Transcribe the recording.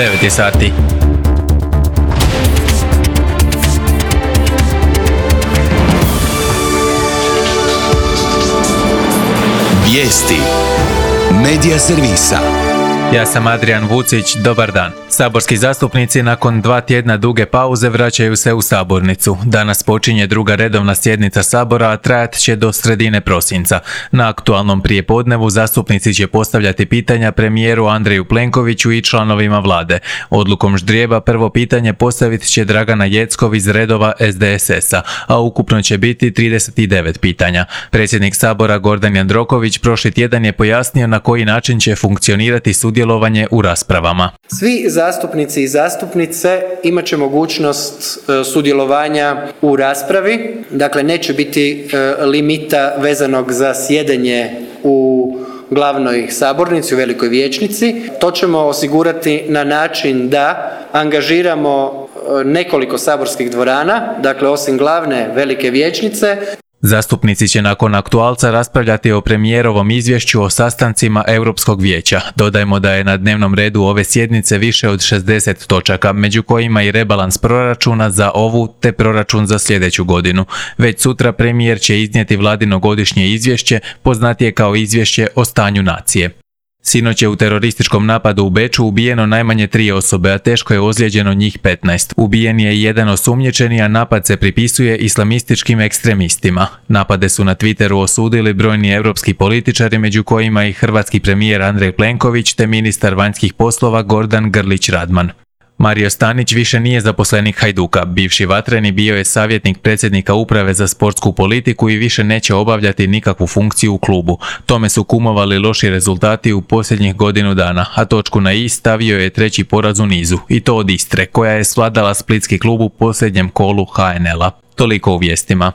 9 je sati. Vijesti Medija servisa. Ja sam Adrian Vucić, dobar dan. Saborski zastupnici nakon 2 tjedna duge pauze vraćaju se u sabornicu. Danas počinje druga redovna sjednica Sabora, a trajat će do sredine prosinca. Na aktualnom prijepodnevu zastupnici će postavljati pitanja premijeru Andreju Plenkoviću i članovima vlade. Odlukom ždrijeba prvo pitanje postavit će Dragana Jeckov iz redova SDSS-a, a ukupno će biti 39 pitanja. Predsjednik Sabora Gordan Jandroković prošli tjedan je pojasnio na koji način će funkcionirati sudjelovanje u raspravama. Svi zastupnici i zastupnice imat će mogućnost sudjelovanja u raspravi, dakle neće biti limita vezanog za sjedenje u glavnoj sabornici, u velikoj vijećnici. To ćemo osigurati na način da angažiramo nekoliko saborskih dvorana, dakle osim glavne velike vijećnice. Zastupnici će nakon aktualca raspravljati o premijerovom izvješću o sastancima Europskog vijeća. Dodajmo da je na dnevnom redu ove sjednice više od 60 točaka, među kojima i rebalans proračuna za ovu te proračun za sljedeću godinu. Već sutra premijer će iznijeti vladino godišnje izvješće, poznatije kao izvješće o stanju nacije. Sinoć je u terorističkom napadu u Beču ubijeno najmanje 3 osobe, a teško je ozlijeđeno njih 15. Ubijen je jedan osumnjičeni, a napad se pripisuje islamističkim ekstremistima. Napade su na Twitteru osudili brojni europski političari, među kojima i hrvatski premijer Andrej Plenković te ministar vanjskih poslova Gordan Grlić Radman. Mario Stanić više nije zaposlenik Hajduka. Bivši vatreni bio je savjetnik predsjednika uprave za sportsku politiku i više neće obavljati nikakvu funkciju u klubu. Tome su kumovali loši rezultati u posljednjih godinu dana, a točku na i stavio je 3. poraz u nizu, i to od Istre, koja je svladala splitski klub u posljednjem kolu HNL-a. Toliko u vijestima.